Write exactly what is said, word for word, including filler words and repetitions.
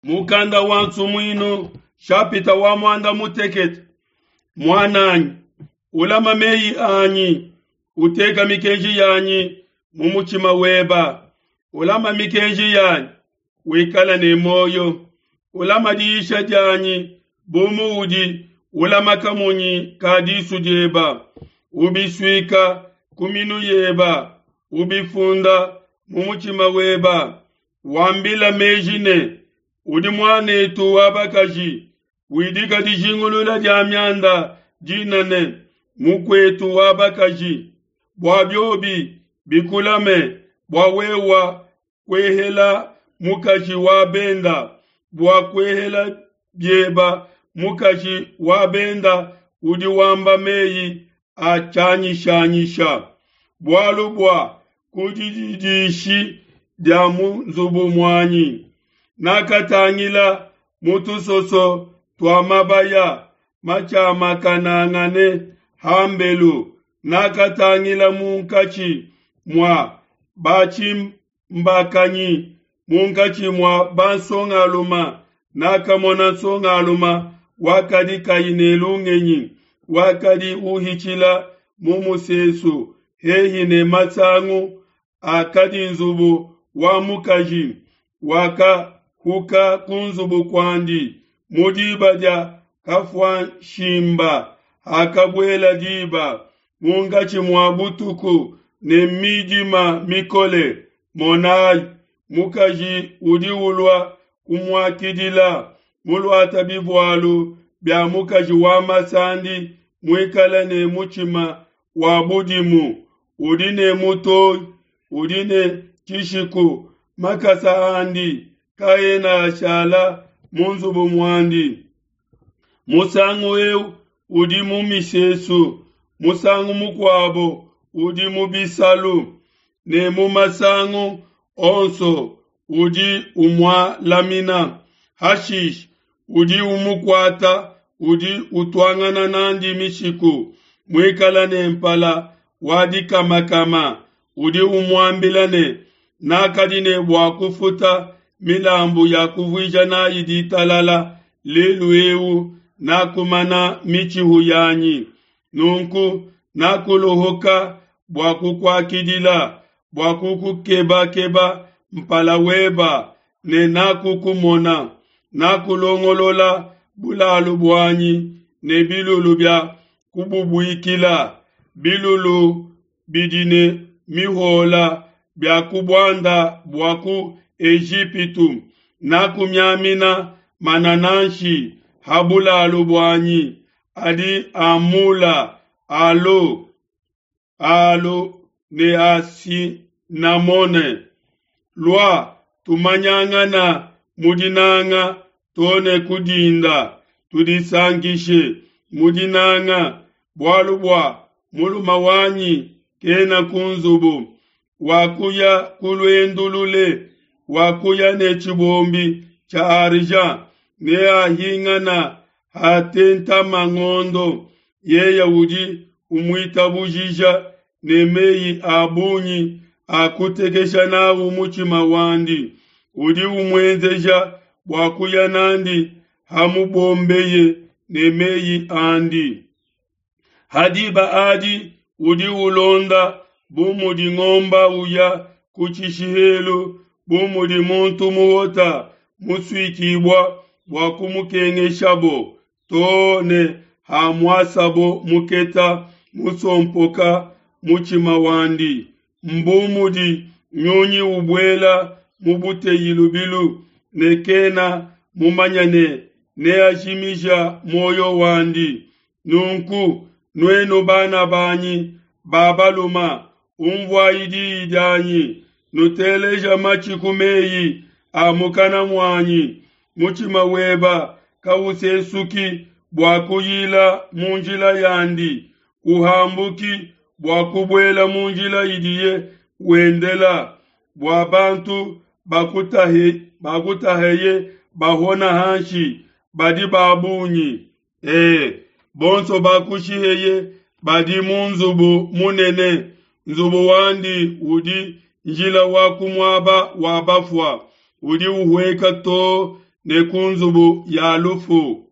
Mukanda wa Nsumuinu shapita wa muanda mutekete. Muananyi, ulama meyi anyi, uteka mikenji yanyi mu mutshima weba. Ulama mikenji yanyi, wikala ne muoyo. Ulama diyisha dianyi bu muudi ulama kamunyi ka disu dieba. Ubisuika ku minu yeba, ubifunda mu mutshima weba. Wambila meji ne, udi muanetu wa bakaji, widika dijingulula dia mianda dina ne mukuetu wa bakaji, bua biobi bikulame bua wewa kuehela mukaji wa benda, bua kuehela bieba mukaji wa benda udi wamba meyi a tshianyishanyisha. Bualu bua ku dididishi dia mu nzubu muanyi nakatangila mu tusoso tua mabaya matshiamakanangane hambelu, nakatangila munkatshi mua batshimbakanyi, munkatshi mua bansongaluma, nakamona nsongaluma wakadi kayi ne lungenyi, wakadi uhitshila mu musesu hehi ne masangu akadi nzubu wa mukaji, wakahuka ku nzubu kuandi mu diba dia kafuanshimba, hakabuela diba munkatshi mua butuku ne midima mikole. Monai, mukaji udi ulua kumuakidila, muluate bivualu bia mukaji wa masandi, muikale ne mutshima wa budimu, udi ne mutoyi, udi ne tshishiku, makasa andi kaena ashala mu nzubu muandi. Musangu eu udi mu misesu, musangu mukuabo udi mu bisalu, ne mu masangu onso udi umualamina. Hashishe udi umukuata, udi utuangana n'andi mishiku, muikale ne mpala wa dikamakama, udi umuambila ne, nakadi ne bua kufuta milambu ya kuvuija n'ai ditalala, lelu eu nakumana mitshihu yanyi. Nunku nakuluhuka bua kukuakidila, bua kukukebakeba mpala weba, ne nakukumona. Nakulongolola bulalu buanyi ne bilulu bia kububuikila, bilulu bidi ne mihola bia ku buanda bua ku Ejipitu. Nakumiamina manananshi ha bulalu buanyi, adi a mula, alo, alo ne a sinamone. Lua, tumanyangana mu dinanga to ne ku dinda, tudisankishe mu dinanga, bualu bua mulume wanyi kena ku nzubu. Wakuya ku luendu lule, wakuya ne tshibombi tshia argent, neahingana hatentama ngondo. Yeye udi umuitabujija ne meyi a bungi a kutekesha n'au mutshima wandi, udi umuenzeja bua kuya n'andi hamubombeye ne meyi andi. Ha diba adi udi ulonda bu mudi ngomba uya ku tshishihelu, bu mudi muntu muhota musuikibua bua kumukengeshabo, to ne hamuasabo muketa musompoka mutshima wandi. Mbu mudi nyunyi ubuela mu buteyi lubilu, ne kena mumanye ne neajimija muoyo wandi. Nunku, nuenu bana banyi ba baluma, unvuai diyi dianyi, nuteleja matshi ku meyi a mukana muanyi. Mutshima weba kausesuki bua kuyila mu njila yandi, kuhambuki bua kubuela mu njila idiye wendela, bua bantu bakutahe, bakutaheye bahona hanshi badi ba bungi. E, bonso bakushiheye badi mu nzubu munene, nzubu wandi udi njila wa ku muaba wa bafua, udi uhueka to ne ku nzubu ya lufu.